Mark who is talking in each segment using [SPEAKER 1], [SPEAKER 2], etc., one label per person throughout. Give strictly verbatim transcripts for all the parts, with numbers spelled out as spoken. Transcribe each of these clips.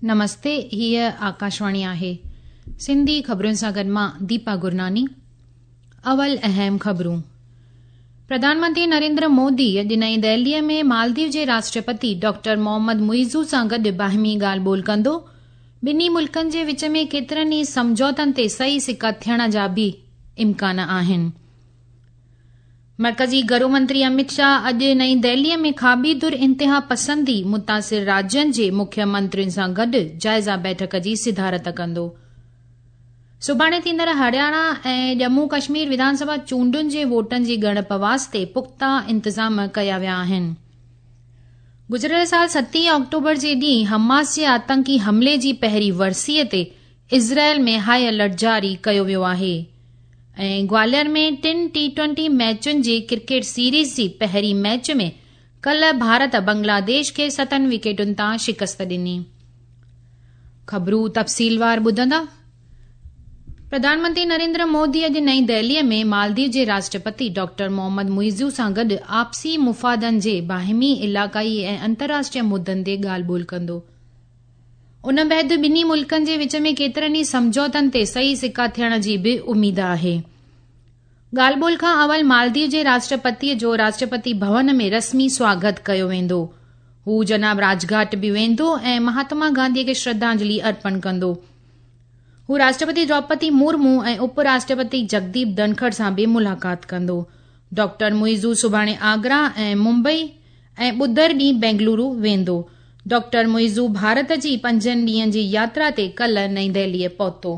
[SPEAKER 1] نمستي، هيء آڪاشواڻي آهي. سنڌي خبرن سان گڏ مان ديپا گرناني. اول اهم خبرون. پرڌان منتري نريندر مودي اڄ نئين دهليء ۾ مالديو جي راشٽرپتي ڊاڪٽر محمد معيزو سان گڏ باهمي ڳالهه ٻولهه ڪندو. ٻنهي ملڪن جي وچ ۾ ڪيترن ئي سمجهوتن تي صحيح سڪا ٿيڻ جا به امڪان آهن. مرڪزي گهرو منتري امت شاهه اڄ نئين دهليء ۾ کاٻي ڌر انتها پسندي متاثر راجين جي مکيه منترين سان گڏ جائزه بيٺڪ جي صدارت ڪندو. سڀاڻي ٿيندڙ هرياڻا ۽ ڄمون ڪشمير وڌان سڀا چونڊن جي ووٽن جي ڳڻپ واسطي پختا انتظام ڪيا ويا آهن. گذريل سال ستين آڪٽوبر جي ڏينهن حماس جي آتنڪي حملي جي پهرين ورسيء تي اسرائيل ۾ هاء الرٽ جاري ڪيو ويو آهي. ۽ گواليار ۾ ٽن ٽي ٽوئنٽي ميچن جي ڪرڪيٽ سيريز جي پهرين ميچ ۾ ڪلهه ڀارت بنگلاديش کي ستن وڪيٽن تان شڪست ڏني. خبرون تفصيلوار ٻڌندا. پرڌان منتري نريندر مودي اڄ نئين دهليء ۾ مالديو جي راشٽرپتي ڊاڪٽر محمد معيزو سان گڏ آپسي مفادن جي باهمي علائقائي ۽ انترراشٽريه مدن تي ڳالهه ٻولهه ڪندو. ان بعد ٻنهي ملڪن جي وچ ۾ ڪيترن ئي سمجهوتن تي صحيح سڪا ٿيڻ جي به اميد آهي. ڳالهه ٻولهه کان اول مالديو جي راشٽرپتيء جو راشٽرپتي ڀون ۾ رسمي سواگت ڪيو ويندو. هو جناب راجگهاٽ به ويندو ۽ مهاتما گانڌيء کي شرڌانجلي ارپڻ ڪندو. هو راشٽرپتي دروپدي مرمو ۽ اپ راشٽرپتي جگديپ ڌنکڙ سان به ملاقات ڪندو. ڊاڪٽر معيزو سڀاڻي آگرا ۽ ممبئي ۽ ٻڌر ڏينهن بينگلورو ويندو. ڊاڪٽر معيزو ڀارت جي پنجن ڏينهن جي ياترا تي ڪلهه نئين دهليء پهتو.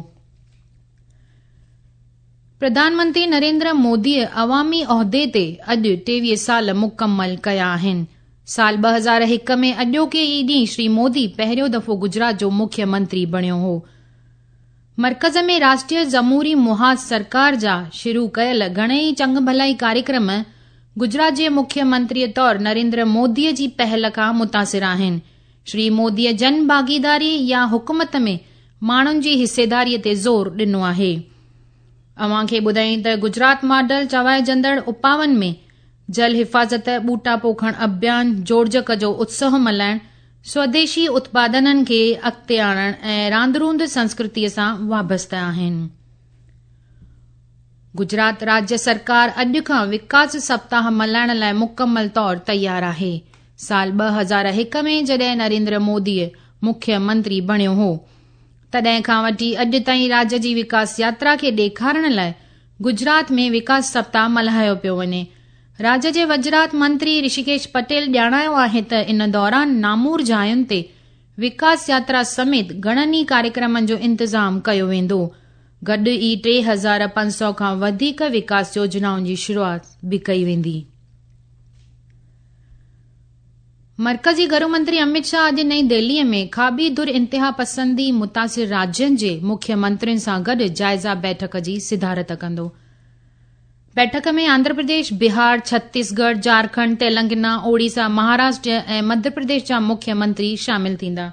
[SPEAKER 1] پرڌان منتري نريندر موديء عوامي عهدي تي اڄ ٽيويهه سال مڪمل ڪيا آهن. سال ٻه هزار هڪ ۾ اڄوڪي ئي ڏينهن شري مودي پهريون دفعو گجرات جو مکيه منتري بڻيو هو. مرڪز ۾ راشٽريه جمهوري محاذ سرڪار جا شروع ڪيل گهڻيئي چڱ ڀلائي ڪاريڪرم گجرات جي مکيه منتريء طور نريندر موديء جي پهل کان متاثر آهن. شري موديء جن ڀاڳيداري يا حڪومت ۾ ماڻهن جي حصيداريء تي زور ڏنو آهي. اوهان کي ٻڌايون ته گجرات ماڊل چوائجندڙ اپائن ۾ جل حفاظت، ٻوٽا پوکڻ اڀيان، جوڙجڪ جو اتسو ملهائڻ، سوديشي اتپادنن کي اڳتي آڻڻ ۽ راند روند سنسڪرتيء سان وابسته آهن. گجرات راجيه سرڪار اڄ کان وڪاس سپتاهه ملهائڻ لاءِ مڪمل طور تيار آهي. سال ٻه هزار هڪ ۾ جڏهن نريندر مودي مکيه منتري بڻيو هو، تڏهن کان وٺي اڄ تائين راجيه جي وڪاس ياترا کي ڏيکارڻ لاءِ گجرات ۾ وڪاس سپتاهه ملهايو پيو وڃي. راجيه جي وزارت منتري رشيڪيش پٽيل ڄاڻايو آهي ته ان دوران نامور جاين تي وڪاس ياترا سميت گهڻن ئي ڪاريڪرمن جو انتظام ڪيو ويندو. گڏ ئي ٽي هزار پنج سؤ کان وڌيڪ وڪاس يوجنائن جي شروعات به ڪئي ويندي. مرڪزي گهرو منتري امت شاهه اڄ نئين دهليء ۾ کاٻي ڌر انتها پسندي متاثر راجين جي مکيه منترين سان گڏ جائزه بيٺڪ جي صدارت ڪندو. بيٺڪ ۾ آنڌرا پرديش، بهار، ڇتيسڳڙهه، جهارکنڊ، تيلنگانا، اوڙيسا، مهاراشٽر ۽ مڌيه پرديش جا مکيه منتري شامل ٿيندا.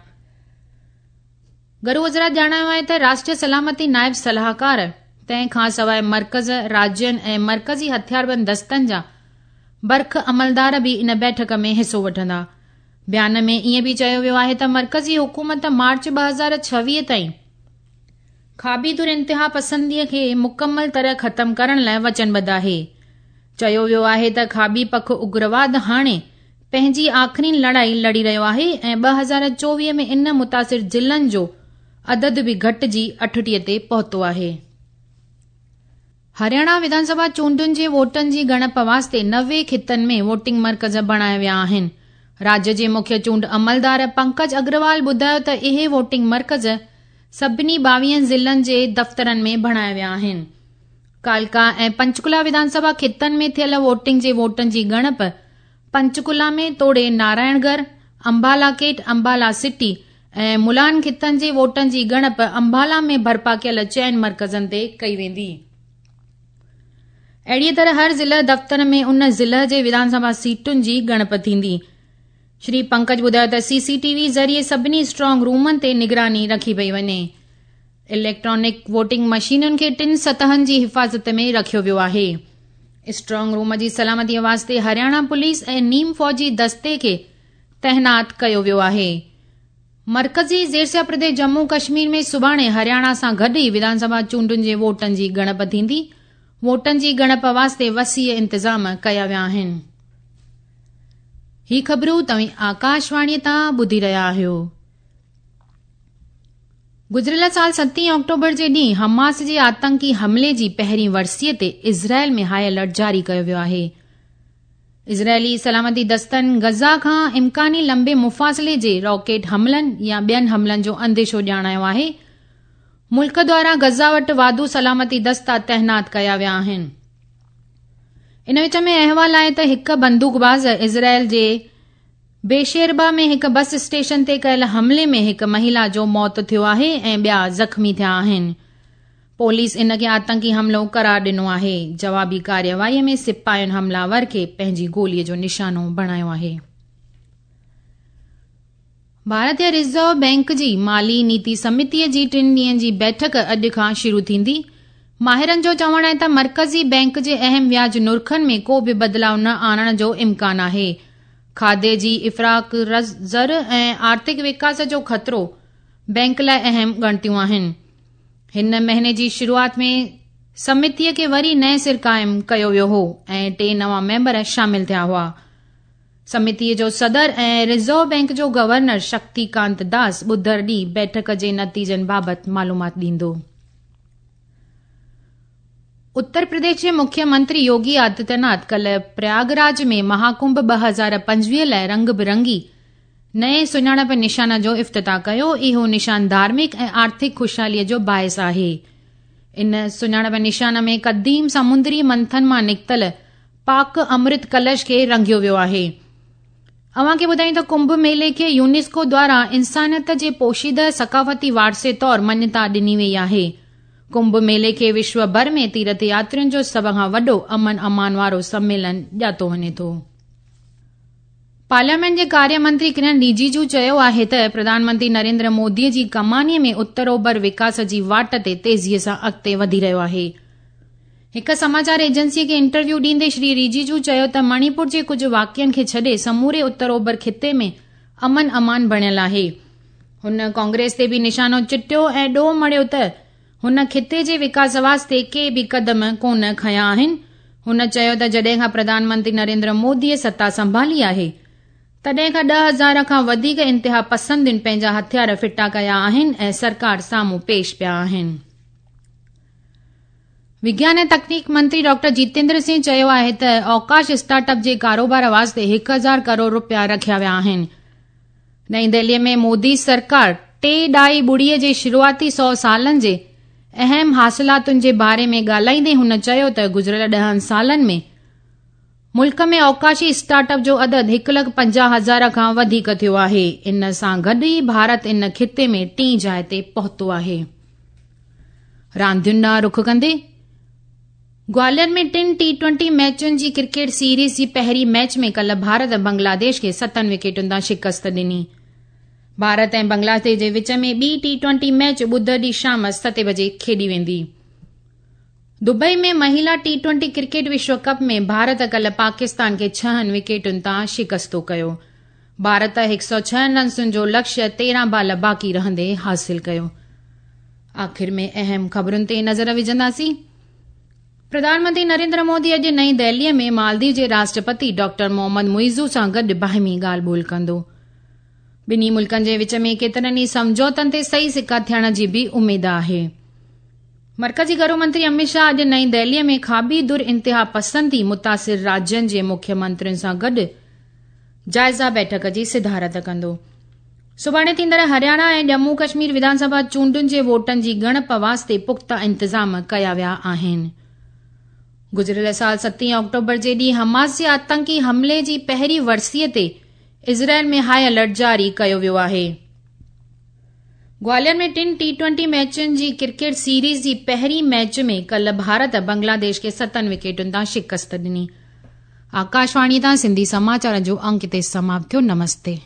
[SPEAKER 1] گهرو وزارت ڄاڻايو آهي ته راشٽريه سلامتي نائب صلاحڪار تنهن کان سواءِ مرڪز، راجين ۽ مرڪزي هٿياربند دستن جا برک عملدار به ان بيٺڪ ۾ حصو وٺندا. بيان ۾ ائين به چيو ويو آهي ته مرڪزي حڪومت مارچ ٻه هزار ڇويهه تائين کاٻي ڌر انتها پسنديء کي مڪمل طرح ختم ڪرڻ لاءِ وچنبڌ آهي. چيو ويو آهي ته کاٻي پک اگرواد هاڻي پنهنجي آخرين لڙائي لڙي رهيو آهي ۽ ٻه هزار چوويهه ۾ ان متاثر ضلعن جو عدد به گهٽجي اٺٽيهه تي پهتو آهي. هرياڻا وڌان سڀا چونڊن جي ووٽن جي ڳڻپ واسطي نوي خطن ۾ ووٽنگ مرڪز بڻايا ويا آهن. راجيه جي مکيه چونڊ عملدار پنڪج اگروال ٻڌايو ته اهي ووٽنگ مرڪز سڀني ٻاويهن ضلعن جي دفترن ۾ بڻايا ويا آهن. ڪالڪا ۽ پنچڪولا وڌان سڀا خطن ۾ ٿيل ووٽنگ جي ووٽن جي ڳڻپ پنچڪولا ۾ توڙي نارائڻ ڳڙهه، امبالا ڪيٽ، امبالا سٽي ۽ ملان خطن جي ووٽن جي ڳڻپ امبالا ۾ برپا ڪيل چئن مرڪزن تي ڪئي ويندي. اهڙيء طرح هر ضلع دفتر ۾ ان ضلع جي وڌان سڀا سيٽن جي ڳڻپ ٿيندي. شري پنڪج ٻڌايو ته سي سي ٽي وي ذريعي سڀني اسٽرانگ رومن تي نگراني رکي پئي وڃي. اليڪٽرانڪ ووٽنگ مشينن کي ٽن سطحن جي حفاظت ۾ رکيو ويو آهي. اسٽرانگ روم جي سلامتيءَ واسطي هرياڻا پوليس ۽ نيم فوجي دستي کي تعينات ڪيو ويو آهي. مرڪزي زيرسيا پرديش ڄمون ڪشمير ۾ سڀاڻي هرياڻا سان گڏ ئي وڌان سڀا چونڊن جي ووٽن جي ڳڻپ ٿيندي. ووٽن جي ڳڻپ واسطي وسيع انتظام ڪيا ويا آهن. هي خبرون توهين آڪاشواڻيءَ تان ٻڌي رهيا آهيو. گذريل سال ستين آڪٽوبر جي ڏينهن حماس جي آتنڪي حملي جي پهرين ورسيءَ تي اسرائيل ۾ هاءِ الرٽ جاري ڪيو ويو آهي. اسرائيلي سلامتي دستن غزه کان امڪاني لمبي مفاصلي جي راڪيٽ حملن يا ٻين حملن جو انديشو ڄاڻايو آهي. ملڪ دواران غزه وٽ واڌو سلامتي دستا تعينات ڪيا ويا آهن. ان وچ ۾ احوال آهي ته هڪ بندوقباز اسرائيل جي بيشيربا ۾ هڪ بس اسٽيشن تي ڪيل حملي ۾ هڪ مهلا جو موت ٿيو آهي ۽ ٻيا زخمي ٿيا آهن. پوليس ان کي آتنڪي حملو قرار ڏنو آهي. جوابي ڪارروائي ۾ سپاهين حملاور کي پنهنجي گوليءَ جو نشانو بڻايو آهي. ڀارتيه رزرو بينڪ جي مالي نيتي سمتيءَ جي ٽن ڏينهن جي بيٺڪ اڄ کان شروع ٿيندي. ماهرن جو چوڻ آهي ته مرڪزي بينڪ جي اهم وياج نرخن ۾ ڪو به بدلاءُ نه آڻڻ جو امڪان آهي. کاڌي جي افراط زر ۽ آرٿڪ وڪاس جو خطرو بينڪ لاءِ اهم ڳڻتيون آهن. هن مهيني جي شروعات ۾ سمتيءَ کي وري نئين سر قائم ڪيو ويو هو ۽ ٽي نوان ميمبر شامل ٿيا هئا. سمتيءَ جو صدر ۽ رزرو بينڪ جو گورنر شڪتيڪانت داس ٻڌر ڏينهن بيٺڪ جي نتيجن بابت معلومات ڏيندو. اتر پرديش جي مکيه منتري يوگي آدتيناٿ ڪالهه پرياگراج ۾ مهاڪنڀ ٻه هزار پنجويهه لاءِ رنگ برنگي نئين سڃاڻپ نشان جو افتتاح ڪيو. اهو نشان ڌارمڪ ۽ آرٿڪ خوشحاليءَ جو باعث آهي. ان سڃاڻپ نشان ۾ قديم سمندري منٿن مان نڪتل پاڪ امرت ڪلش کي رنگيو ويو آهي. اوهان کي ٻڌايون ته ڪنڀ ميلي کي يونيسڪو دواران انسانيت جي پوشيده ثقافتي وارثي طور مڃتا ڏني وئي آهي. ڪنڀ ميلي کي وشو ڀر ۾ تيرٿ ياترين جو سڀ کان وڏو امن امان وارو سميلن ڄاتو وڃي ٿو. پارليامينٽ جي ڪاريه منتري ڪرن رجيجو چيو آهي ته پرڌان منتري نريندر موديءَ جي ڪمانيءَ ۾ اتر اوڀر وڪاس جي واٽ تي تيزيءَ سان اڳتي وڌي رهيو آهي. هڪ سماچار ايجنسيءَ کي انٽرويو ڏيندي شري رجيجو چيو ته مڻيپور جي ڪجهه واقعن کي ڇڏي سموري اتر اوڀر خطي ۾ امن امان بڻيل آهي. هن ڪانگريس تي به نشانو چٽيو ۽ ڏوهه مڙهيو ته هن خطي جي وڪاس واسطي ڪي به قدم ڪونه کنيا آهن. هن چيو ته جڏهن کان پرڌان منتري نريندر موديءَ ستا سنڀالي آهي تڏهن کان ڏهه هزار کان وڌيڪ انتها پسندين پنهنجا هٿيار ڦٽا ڪيا آهن ۽ سرڪار سامهون پيش پيا آهن. وگيان ۽ تڪنيڪ منتري ڊاڪٽر جتيندر سنگهه چيو آهي ته اوڪاش اسٽارٽ اپ جي ڪاروبار واسطي هڪ هزار ڪروڙ رپيا رکيا ويا آهن. نئين دهليءَ ۾ مودي سرڪار ٽي ڏهائي ٻڙيءَ جي شروعاتي سؤ سالن جي اهم حاصلاتن جي باري ۾ ڳالهائيندي هن چيو ته گذريل ڏهن سالن ۾ ملڪ ۾ اوڪاشي اسٽارٽ اپ جو عدد هڪ لک پنجاهه هزار کان وڌيڪ ٿيو آهي. ان سان گڏ ئي ڀارت ان خطي ۾ ٽين جاءِ تي پهتو آهي. راندين ڏانهن رخ ڪندي گواليار ۾ ٽن ٽي ٽوئنٽي ميچن جي ڪرڪيٽ سيريز جي پهرين ميچ ۾ ڪالهه ڀارت بنگلاديش کي ستن وڪيٽن تان شڪست ڏني. ڀارت ۽ بنگلاديش جي وچ ۾ ٻي ٽي ٽوئنٽي ميچ ٻڌر ڏينهن شام ستين بجي کيڏي ويندي. دبئي ۾ مهلا ٽي ٽوئنٽي ڪرڪيٽ وشو ڪپ ۾ ڀارت ڪالهه پاڪستان کي ڇهن وڪيٽن تان شڪستو ڪيو. ڀارت هڪ سؤ ڇهن رنسن جو لڪشيه تيرهن بال باقي رهندي حاصل ڪيو. آخر ۾ اهم خبرن تي نظر وجهنداسين. پرڌان منتري نريندر مودي اڄ نئين دهليءَ ۾ مالديو جي راشٽرپتي ڊاڪٽر محمد معزو سان گڏ باهمي ڳالهه ٻولهه ڪندو. ٻنهي ملڪن جي وچ ۾ ڪيترن ئي سمجهوتن تي صحيح سڪا ٿيڻ جي به اميد آهي. مرڪزي گهرو منتري امت شاهه اڄ نئين دهليءَ ۾ کاٻي ڌر انتها پسندي متاثر راجين جي مکيه منترين سان گڏ جائزه بيٺڪ جي صدارت ڪندو. سڀاڻي ٿيندڙ هرياڻا ۽ ڄمون ڪشمير وڌان سڀا چونڊن جي ووٽن جي ڳڻپ واسطي پختا انتظام ڪيا ويا آهن. گذريل سال ستين آڪٽوبر جي ڏينهن حماس جي آتنڪي حملي جي پهرين ورسيءَ تي اسرائيل ۾ هاءِ الرٽ جاري ڪيو ويو آهي. گواليار ۾ ٽن ٽي ٽوئنٽي ميچن جي ڪرڪيٽ سيريز جي پهرين ميچ ۾ ڪالهه ڀارت بنگلاديش کي ستن وڪيٽن تان شڪست ڏني. آڪاشواڻي تان سنڌي سماچار جو انڪ هتي سماپت ٿيو. نمستي.